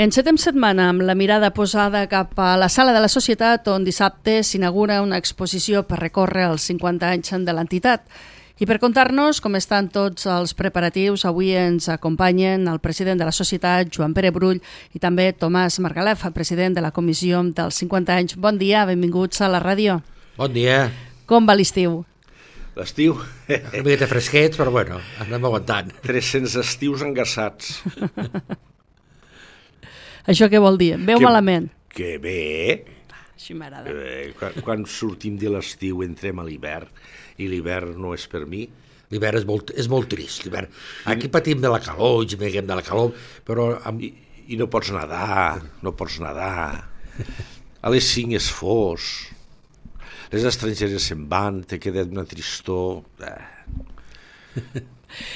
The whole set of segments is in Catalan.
Encetem setmana amb la mirada posada cap a la Sala de la Societat, on dissabte s'inaugura una exposició per recórrer els 50 anys de l'entitat. I per contar-nos com estan tots els preparatius, avui ens acompanyen el president de la Societat, Joan Pere Brull, i també Tomàs Margalef, president de la Comissió dels 50 anys. Bon dia, benvinguts a la ràdio. Bon dia. Com va l'estiu? L'estiu? Una miqueta fresquets, però bueno, anem aguantant. 300 estius engassats. Això què vol dir? Bé o malament? Que bé. Així m'agrada. Quan sortim de l'estiu entrem a l'hivern, i l'hivern no és per mi. L'hivern és molt trist, l'hivern. Aquí patim de la calor, ens neguem de la calor, però... I no pots nedar, no pots nedar. A les 5 és fos. Les estrangeres se'n van, te queda una tristor...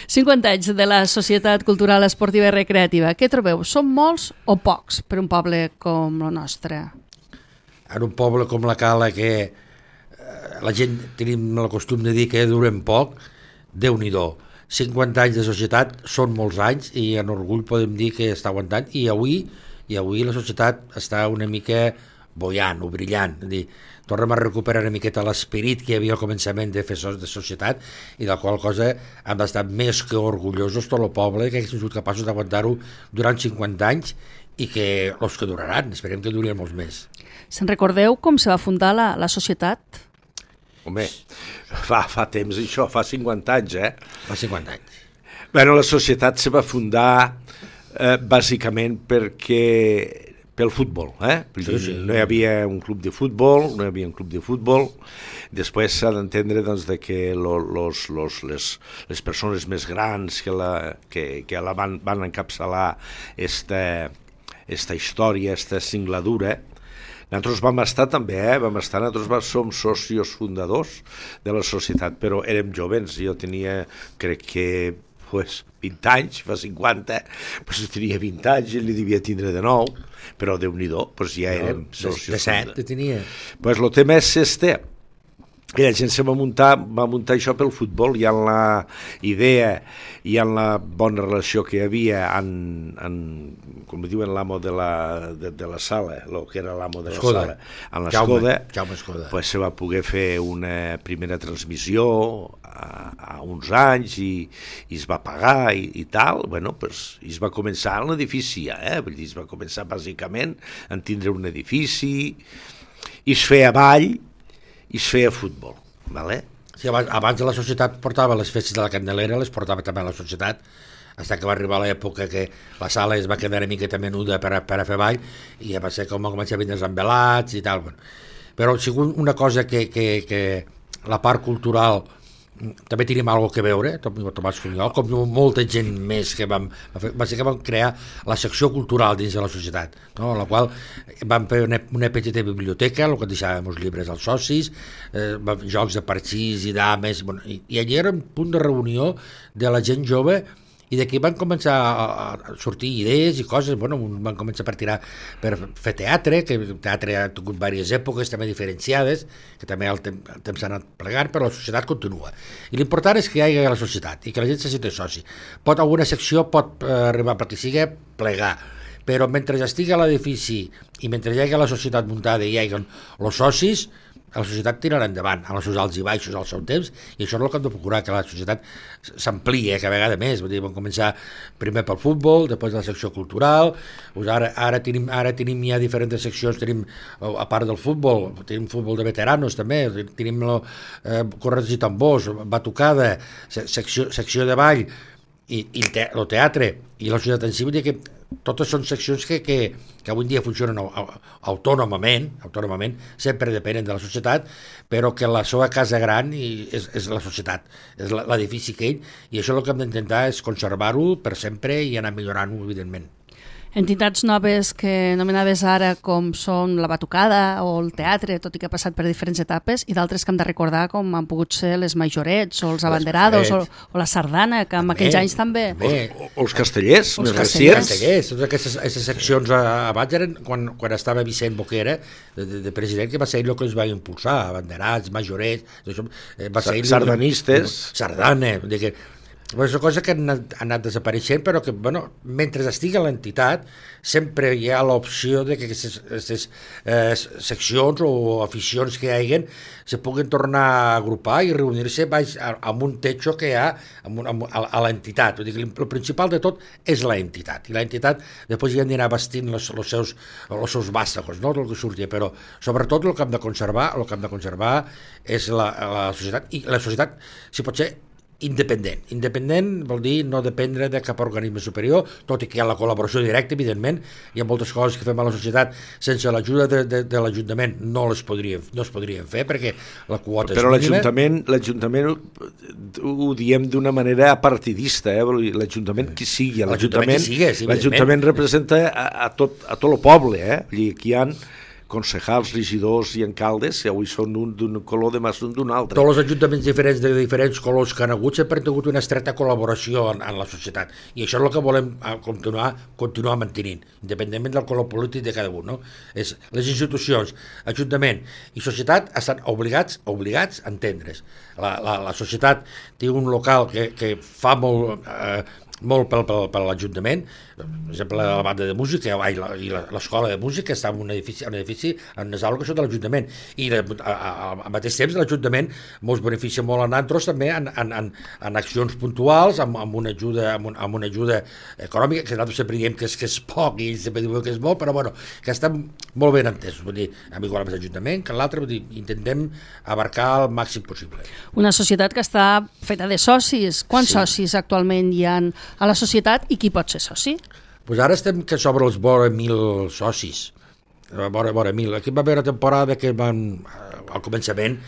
50 anys de la Societat Cultural Esportiva i Recreativa. Què trobeu? Són molts o pocs per un poble com el nostre? En un poble com la Cala, que la gent tenim el costum de dir que durem poc, Déu-n'hi-do. 50 anys de societat són molts anys i en orgull podem dir que està aguantant, i avui la societat està una mica boiant o brillant. És dir, tornem a recuperar una miqueta l'esperit que hi havia al començament de fer de societat, i de la qual cosa hem estat més que orgullosos tot el poble, que hem sigut capaços d'aguantar-ho durant 50 anys i que els que duraran, esperem que durien molts més. Se'n recordeu com se va fundar la societat? Home, fa temps això, fa 50 anys, Fa 50 anys. Bueno, la societat se va fundar bàsicament pel futbol, Sí. No hi havia un club de futbol, després s'ha d'entendre doncs, de que les persones més grans que la van encapçalar esta història, esta singladura. Nosaltres vam estar també, nosaltres som socios fundadors de la societat, però érem jovens, jo tenia, crec que 20 anys, fa 50, jo tenia 20 anys i li devia tindre de 9, però Déu-n'hi-do, ja érem socios. De 7 tenia. El tema és i la gent se va muntar això pel futbol, i en la idea i en la bona relació que hi havia com diuen l'amo de la sala, el que era l'amo de la sala, en l'Escoda, pues se va poder fer una primera transmissió a uns anys i es va pagar i tal, i es va començar en l'edifici, es va començar bàsicament a tindre un edifici, i es feia ball, i es feia futbol, vale? Sí, abans la societat portava les festes de la Candelera, les portava també a la societat, fins que va arribar l'època que la sala es va quedar una miqueta menuda per a fer ball, i va ser com va començar a vindre els envelats i tal. Però ha sigut una cosa que la part cultural també tenim alguna cosa a veure, Tomàs Funiol, com molta gent més que vam crear la secció cultural dins de la societat, no? En la qual vam fer una petita biblioteca, el que deixàvem els llibres als socis, jocs de parxís i dames, i allà era un punt de reunió de la gent jove, i d'aquí van començar a sortir idees i coses, van començar per fer teatre, que el teatre ha tingut diverses èpoques també diferenciades, que també el temps s'ha anat plegant, però la societat continua. I l'important és que hi hagi la societat i que la gent se senti soci. Alguna secció pot arribar perquè sigui plegar, però mentre estigui a l'edifici i mentre hi hagi la societat muntada i hi hagi els socis, la societat tirarà endavant, amb els seus alts i baixos al seu temps, i això és el que hem de procurar, que la societat s'amplia cada vegada més. Vam començar primer pel futbol, després la secció cultural, ara tenim ja diferents seccions, a part del futbol, tenim futbol de veteranos també, tenim corredors i tambors, batucada, secció de ball, i el teatre, i la societat en si, vull dir que totes són seccions que avui en dia funcionen autònomament, sempre depenen de la societat, però que la seva casa gran és la societat, és l'edifici aquell, i això el que hem d'intentar és conservar-ho per sempre i anar millorant-ho, evidentment. Entitats noves que nomenaves ara, com són la batucada o el teatre, tot i que ha passat per diferents etapes, i d'altres que hem de recordar, com han pogut ser les majorets o els abanderados o la sardana, que en aquells anys també. O els castellers, més recients. Totes aquestes seccions abans eren quan estava Vicent Boquera de president, que va ser ell el que els va impulsar, abanderats, majorets, sardanistes. Sardana, És una cosa que ha anat desapareixent, però que, bueno, mentre estigui a l'entitat, sempre hi ha l'opció de que aquestes seccions o aficions que hi hagin se puguin tornar a agrupar i reunir-se amb un techo que hi ha a l'entitat. Vull dir que el principal de tot és l'entitat, i l'entitat després hi han d'anar vestint els seus vàstagos, no? El que surti, però sobretot el que hem de conservar és la societat, i la societat, si pot ser, independent. Independent vol dir no dependre de cap organisme superior, tot i que hi ha la col·laboració directa, evidentment. Hi ha moltes coses que fem a la societat sense l'ajuda de l'Ajuntament no es podrien fer, perquè la quota és mínima. Però l'Ajuntament ho diem d'una manera apartidista, l'Ajuntament qui sigui, l'Ajuntament representa a tot el poble, aquí hi ha concejals, regidors i alcaldes, que avui són d'un color, demà són d'un altre. Tots els ajuntaments diferents de diferents colors que han hagut sempre han tingut una estreta col·laboració en la societat, i això és el que volem continuar mantenint, independentment del color polític de cada un, no? Les institucions, ajuntament i societat estan obligats a entendre's. La societat té un local que fa molt per l'Ajuntament, per exemple la banda de música i l'escola de música està en un edifici, en unes aules que són de l'Ajuntament, i al mateix temps l'Ajuntament ens beneficia molt a nosaltres també en accions puntuals, amb una ajuda econòmica, que nosaltres sempre diem que és poc i ells sempre diuen que és molt, però bueno, que està molt ben entès, vull dir, igual amb l'Ajuntament que l'altre, vull dir, intentem abarcar el màxim possible. Una societat que està feta de socis. Quants socis actualment hi ha a la societat i qui pot ser soci? Pues ara estem que sobre els vora 1.000 socis, vora 1.000. Aquí va haver una temporada que al començament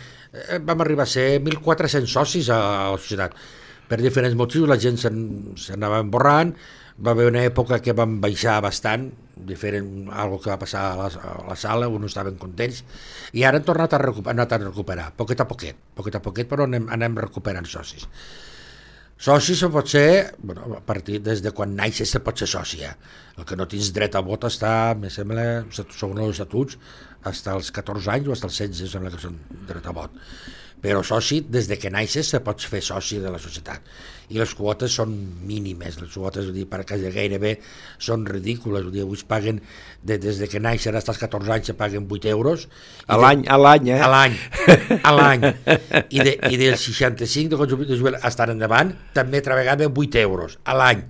vam arribar a ser 1.400 socis a la societat. Per diferents motius la gent s'anava emborrant, va haver una època que vam baixar bastant, algo que va passar a la sala, uns estaven contents, i ara hem tornat a recuperar, poquet a poquet, però anem recuperant socis. Soci se pot ser, a partir des de quan naixes se pot ser soci. El que no tens dret a vot està, em sembla, segons els estatuts, fins als 14 anys o fins als 16 sembla que són dret a vot. Però soci, des de que naixes se pots fer soci de la societat. I les quotes són mínimes, les quotes perquè gairebé són ridícules. Avui es paguen, des de que naixen fins als 14 anys se paguen 8 euros. A l'any, eh? A l'any. I del 65 de estar endavant també altra vegada 8 euros a l'any.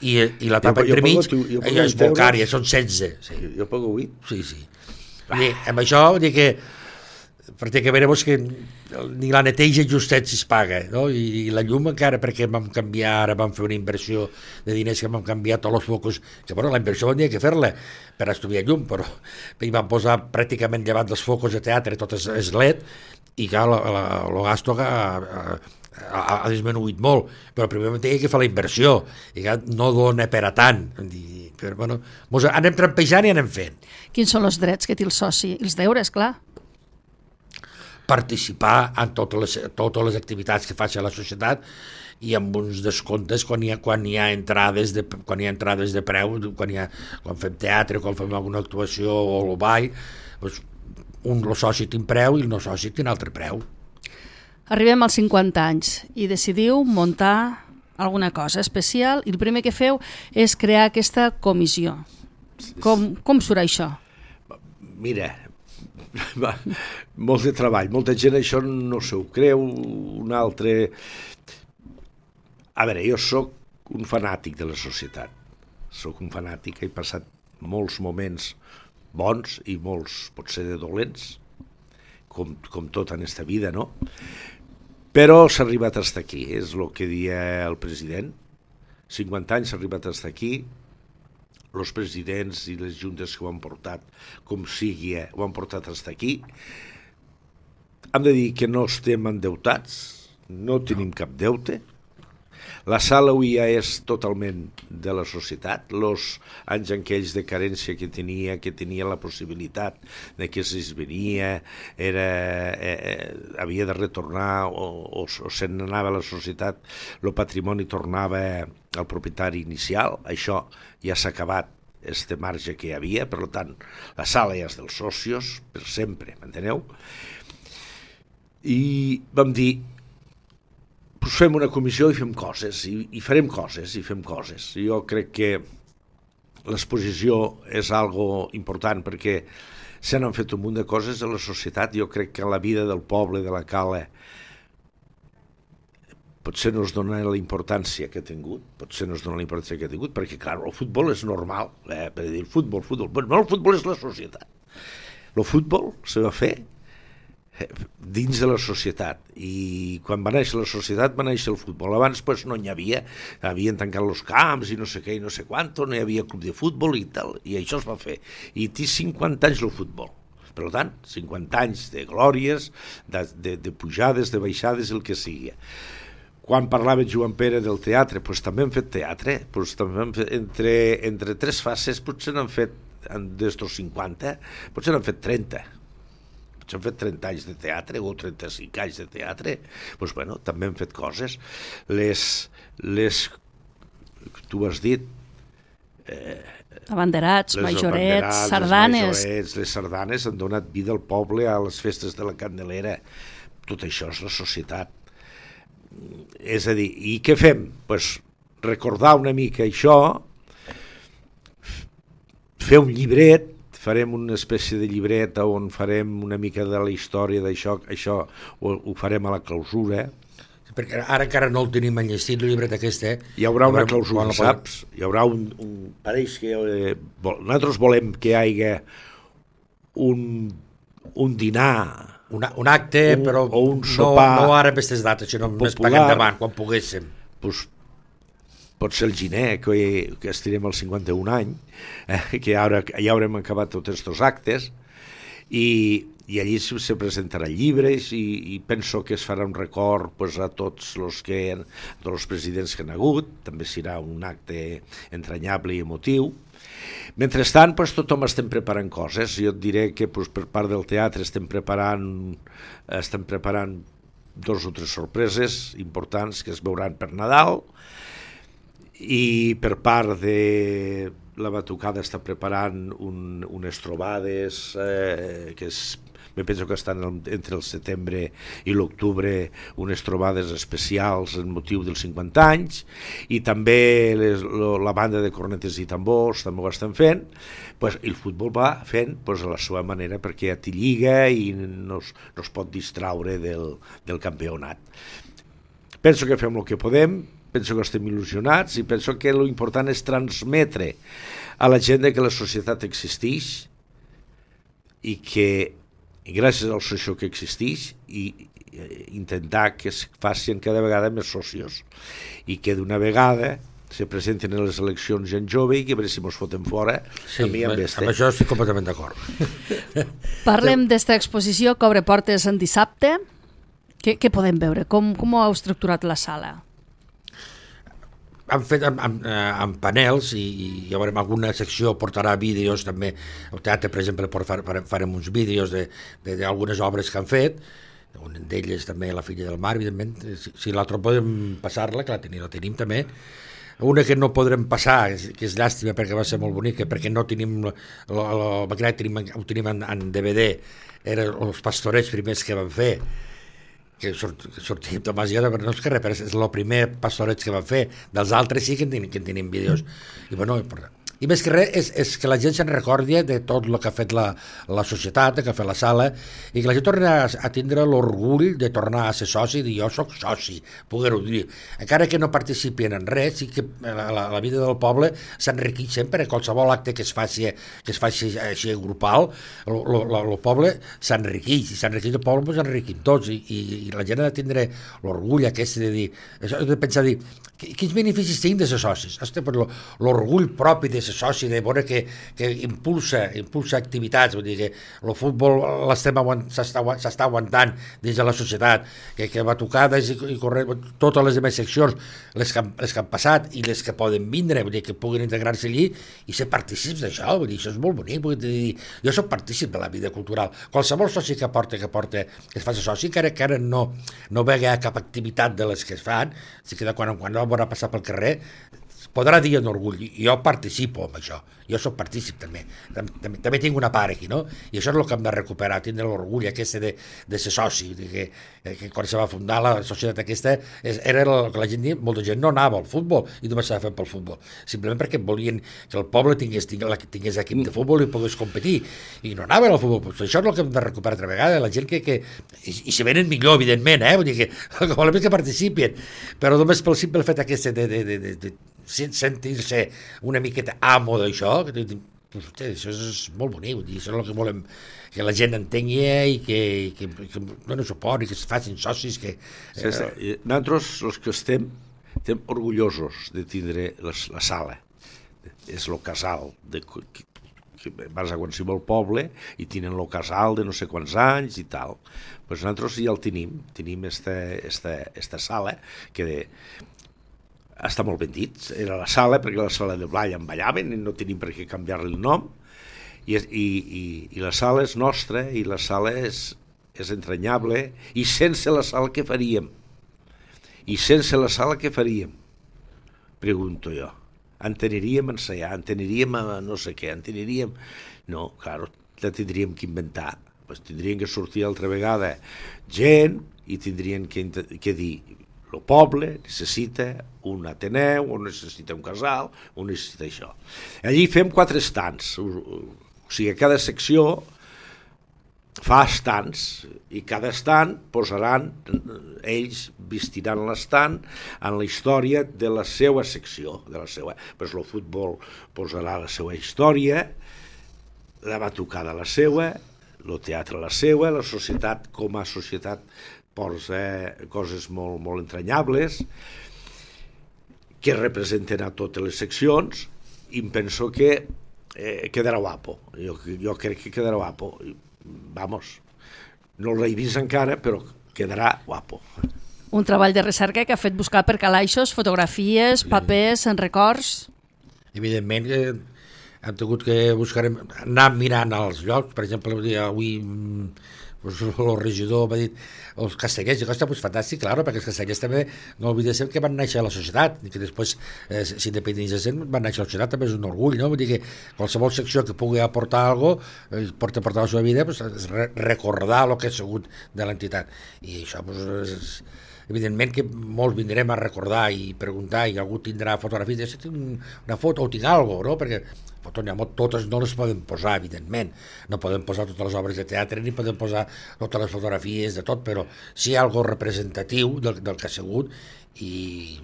I l'etapa entremig és molt cària, són 16. Sí. Jo pago 8? Sí. Amb això vull dir que pràcticament que ni la neteja justet si es paga, no? I la llum encara, perquè vam canviar, ara vam fer una inversió de diners que vam canviar tots els focus, que la inversió vam dir que fer-la per estudiar llum, però hi vam posar pràcticament llevat dels focus de teatre, tot és LED, i clar, el gasto ha disminuït molt, però primer hem de fer la inversió, i clar, no dona per a tant, però anem trampejant i anem fent. Quins són els drets que té el soci? Els deures, clar. Participar en totes les activitats que faci la societat i amb uns descomptes quan hi ha entrades de preu, quan fem teatre, quan fem alguna actuació o el ball, el soci té un preu i el no soci té un altre preu. Arribem als 50 anys i decidiu muntar alguna cosa especial i el primer que feu és crear aquesta comissió. Com surt això? Mira, molt de treball, molta gent això no s'ho creu, un altre... A veure, jo sóc un fanàtic de la societat, sóc un fanàtic, he passat molts moments bons i molts potser de dolents, com tot en esta vida, no? Però s'ha arribat fins aquí, és el que dia el president, 50 anys s'ha arribat fins aquí, els presidents i les juntes que ho han portat, com sigui, ho han portat fins aquí. Hem de dir que no estem endeutats, no tenim cap deute. La sala avui ja és totalment de la societat. Els anys en aquells de carència que tenia la possibilitat de que si es venia havia de retornar o se'n anava a la societat, el patrimoni tornava al propietari inicial. Això ja s'ha acabat, este marge que hi havia, per tant, la sala ja és dels socios per sempre, m'enteneu? I vam dir, pues fem una comissió i fem coses, i farem coses, i fem coses. Jo crec que l'exposició és algo important perquè se n'han fet un munt de coses a la societat. Jo crec que la vida del poble, de la cala, potser no es dona la importància que ha tingut, perquè, clar, el futbol és normal, per dir, el futbol, no, el futbol és la societat. El futbol se va fer dins de la societat, i quan va néixer la societat va néixer el futbol. Abans pues, no n'hi havien tancat els camps i no sé què i no sé quant, no hi havia club de futbol i tal, i això es va fer, i té 50 anys el futbol. Per tant, 50 anys de glòries, de pujades, de baixades, el que sigui. Quan parlava Joan Pere del teatre, pues, també hem fet teatre, pues, també hem fet, entre tres fases potser n'han fet, d'estos 50, potser n'han fet 30. Potser han fet 30 anys de teatre o 35 anys de teatre. Pues, bueno, també hem fet coses. Tu has dit... Abanderats, majorets, sardanes. Les sardanes han donat vida al poble, a les festes de la Candelera. Tot això és la societat. És a dir, i què fem? Pues recordar una mica això, fer un llibret, farem una espècie de llibret on farem una mica de la història d'això, això ho farem a la clausura. Perquè ara encara no el tenim enllestit, el llibret aquest, Hi haurà una clausura, saps? Hi haurà pareix que... nosaltres volem que hi hagi un dinar... Un acte, però o un sopar no ara en aquestes dates, sinó més per endavant, quan poguéssim. Pues, pot ser el gener, que estirem el 51 any, que ja haurem acabat tots aquests actes, i allí se presentarà llibres, i penso que es farà un record pues, a tots els presidents que han hagut. També serà un acte entranyable i emotiu. Mentrestant, pues, tothom estem preparant coses. Jo et diré que pues, per part del teatre estem preparant 2 o 3 sorpreses importants que es veuran per Nadal, i per part de la Batucada està preparant unes trobades que me penso que estan entre el setembre i l'octubre, unes trobades especials en motiu dels 50 anys, i també la banda de cornetes i tambors també ho estan fent. Pues, el futbol va fent pues, a la seva manera, perquè ja té lliga i no es pot distraure del campionat. Penso que fem el que podem, penso que estem il·lusionats, i penso que l'important és transmetre a la gent que la societat existeix, i que gràcies al soci que existeix, i intentar que es facin cada vegada més socios, i que d'una vegada se presenten a les eleccions gent jove i que a veure si mos foten fora. Sí, amb això estic completament d'acord. Parlem d'esta exposició que obre portes en dissabte. Què podem veure? Com ho heu estructurat la sala? Han fet amb panels, i llavors alguna secció portarà vídeos també. El teatre, per exemple, farem uns vídeos d'algunes obres que han fet, una d'elles també La filla del mar, evidentment. Si l'altra podem passar-la, que la tenim també. Una que no podrem passar, que és llàstima perquè va ser molt bonica, perquè no tenim ho tenim en DVD, eren els pastorets primers que van fer, que sortim Tomàs Guerra, però no és que res, però és el primer pastoreig que van fer. Dels altres sí que en tenim vídeos. I bueno, i més que res és que la gent se'n recordi de tot el que ha fet la societat, que ha fet la sala, i que la gent torni a tindre l'orgull de tornar a ser soci, i dir jo soc soci, poder-ho dir. Encara que no participin en res, sí que la vida del poble s'enriqueix sempre. Qualsevol acte que es faci així grupal, el poble s'enriqueix, i s'enriqueix el poble, doncs s'enriquim tots, i la gent ha de tindre l'orgull aquest de dir, de pensar, dir, quins beneficis tinc de ser socis? L'orgull propi de ser soci, de veure que impulsa activitats, vull dir que el futbol s'està aguantant dins de la societat, que batucades i correr, totes les demés seccions, les que han passat i les que poden vindre, vull dir que puguin integrar-se allí i ser partícips d'això, vull dir, això és molt bonic, vull dir, jo soc partícip de la vida cultural. Qualsevol soci que es faci soci, que ara no vegi cap activitat de les que es fan, sí que de quan en quan no veurà passar pel carrer, podrà dir en orgull, i jo participo en això, jo soc partícip també. També tinc una part aquí, no? I això és el que hem de recuperar, tindre l'orgull aquest de ser soci, que quan se va fundar la societat aquesta era el que la gent diu, molta gent no anava al futbol i només s'ha fet pel futbol, simplement perquè volien que el poble tingués equip de futbol i pogués competir, i no anaven al futbol. Pues això és el que hem de recuperar altra vegada, la gent i si venen millor, evidentment, vull dir que el que volem és que participin, però només pel simple fet aquest de sentir-se una miqueta amo d'això, això és molt bonic, això és el que volem que la gent entengui i que donen suport i que es facin socis. Nosaltres, els que estem orgullosos de tindre la sala, és el casal que vas a qualsevol poble i tenen el casal de no sé quants anys i tal. Pues nosaltres ja el tenim esta sala que està molt ben dit, era la sala perquè la sala de ball en ballaven i no tenim per què canviar-li el nom i la sala és nostra i la sala és entranyable i sense la sala què faríem? Pregunto jo. Aniríem a ensaiar, aniríem a no sé què, No, clar, la tindríem que inventar. Pues tindrien que sortir altra vegada gent i tindrien que dir el poble necessita un ateneu, o necessita un casal, o necessita això. Allí fem 4 estants, o sigui, cada secció fa estants i cada estant posaran, ells vestiran l'estant en la història de la seva secció, pues el futbol posarà la seva història, la batucada la seva, el teatre la seva, la societat com a societat posa coses molt, molt entranyables que representen a totes les seccions i em penso que quedarà guapo, jo crec que quedarà guapo. Vamos, no l'he vist encara, però quedarà guapo. Un treball de recerca que ha fet buscar per calaixos fotografies, papers, records. Evidentment que hem tingut que anar mirant als llocs. Per exemple, avui el regidor m'ha dit els castellers, i costa, pues fantàstic, claro, perquè els castellers també no oblidem que van néixer a la societat i que després s'independitzen, van néixer a la societat, també és un orgull, no? Vull dir que qualsevol secció que pugui aportar alguna cosa, porta la seva vida, pues, recordar el que ha sigut de l'entitat, i això pues, evidentment que molts vindrem a recordar i preguntar, i algú tindrà fotografies, si tinc una foto o tinc alguna cosa, no? Perquè totes no les podem posar, evidentment, no podem posar totes les obres de teatre ni podem posar totes les fotografies de tot, però sí algo representatiu del que ha sigut, i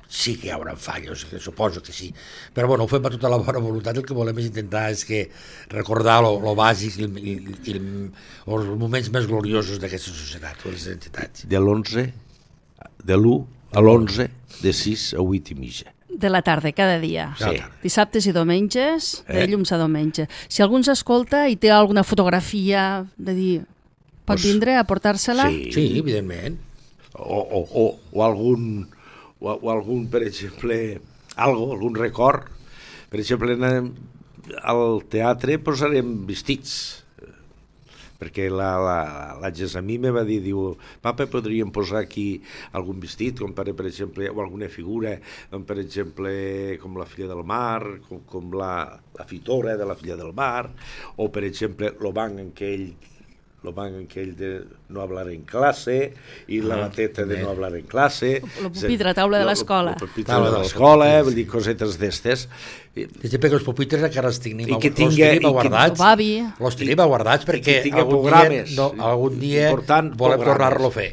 sí que hi haurà fallos, suposo que sí, però bueno, ho fem amb tota la bona voluntat. El que volem és intentar recordar lo bàsic i els moments més gloriosos d'aquesta societat, de les entitats. De l'1 a l'11, de 6 a 8 i mitja. De la tarda, cada dia. Sí. Dissabtes i diumenges, de llums a diumenge. Si algú ens escolta i té alguna fotografia de dir, pot vindre a portar-se-la? Sí, evidentment. O algun, per exemple, algun record. Per exemple, al teatre posarem vestits, perquè la Gessamí me va dir, diu, papa, podríem posar aquí algun vestit, com per exemple, o alguna figura, com per exemple, com la filla del mar, com la fitora de la filla del mar, o per exemple, el banc en aquell de no hablar en classe i la bateta de no hablar en classe. El pupitre, taula de l'escola. El pupitre de l'escola, vull dir, cosetes d'estes. Perquè els pupitres encara els tenim guardats. Els tenim guardats perquè algun dia volem tornar-lo a fer.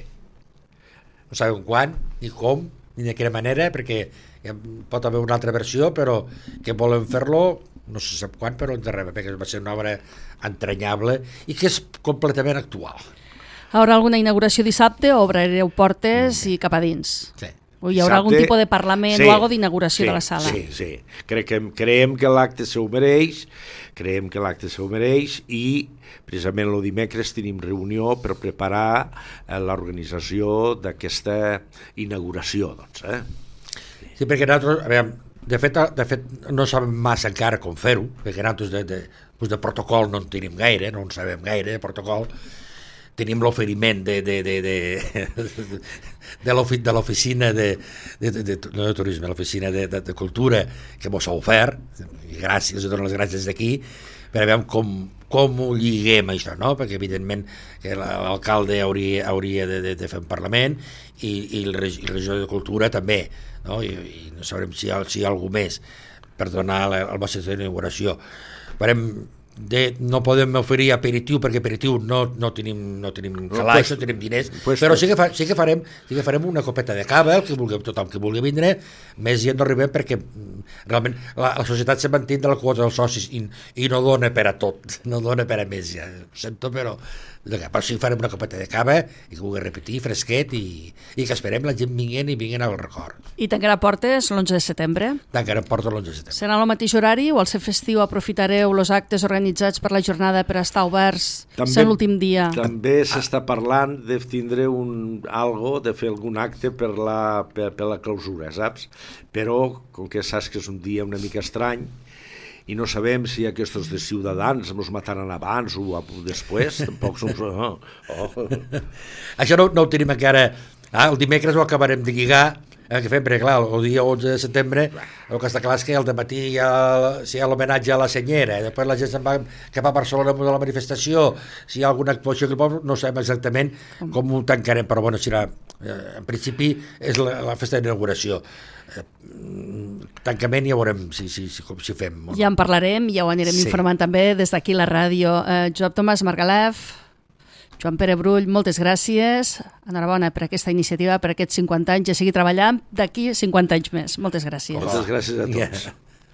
No sabem quan, ni com, ni de quina manera, perquè pot haver una altra versió, però que volem fer-lo no se sap quan, però perquè va ser una obra entranyable i que és completament actual. Haurà alguna inauguració dissabte o obrireu portes i cap a dins? Sí. O hi haurà algun tipus de parlament o alguna d'inauguració de la sala? Sí. Creiem que l'acte s'ho mereix, i precisament el dimecres tenim reunió per preparar l'organització d'aquesta inauguració. Sí, perquè nosaltres, de fet, no sabem massa encara com fer-ho, perquè nosaltres de protocol no en tenim gaire, no en sabem gaire de protocol. tenim l'oferiment de l'oficina no de turisme, l'oficina de cultura que mos ha ofert, i gràcies, dono les gràcies d'aquí, per a veure com ho lliguem això, no? Perquè evidentment que l'alcalde hauria de fer un Parlament i el regidor de Cultura també, no? I no sabrem si hi ha algú més per donar el vostre d'inauguració. No podem oferir aperitiu perquè aperitiu no tenim calaix, no tenim diners, però sí que farem una copeta de cava, tothom que vulgui vindre, més gent no arribem perquè realment la societat se manté de la quota dels socis i no dona per a tot, no dona per a més, ja ho sento, però sí farem una copeta de cava i que vulgui repetir, fresquet, i que esperem la gent vinguin al record. I tancarà portes l'11 de setembre? Tancarem portes l'11 de setembre. Serà al mateix horari o al ser festiu aprofitareu els actes organitzats per la jornada per estar oberts ser l'últim dia? També s'està parlant de tindre de fer algun acte per la clausura, saps? Però, com que saps que és un dia una mica estrany, i no sabem si aquests de Ciutadans ens mataran abans o després, tampoc som... Això no ho tenim encara. El dimecres ho acabarem de lligar, que fem, perquè clar, el dia 11 de setembre el que està clar és que al dematí hi ha l'homenatge a la senyera, després la gent se'n va cap a Barcelona amb la manifestació, si hi ha alguna actuació no sabem exactament com ho tancarem, però bueno, serà, en principi és la festa d'inauguració. Tancament ja veurem si fem. Ja en parlarem, ja ho anirem informant també des d'aquí la ràdio. Josep Tomàs Margalef, Joan Pere Brull, moltes gràcies. Enhorabona per aquesta iniciativa, per aquests 50 anys, i a seguir treballant d'aquí 50 anys més. Moltes gràcies. Moltes gràcies a tots.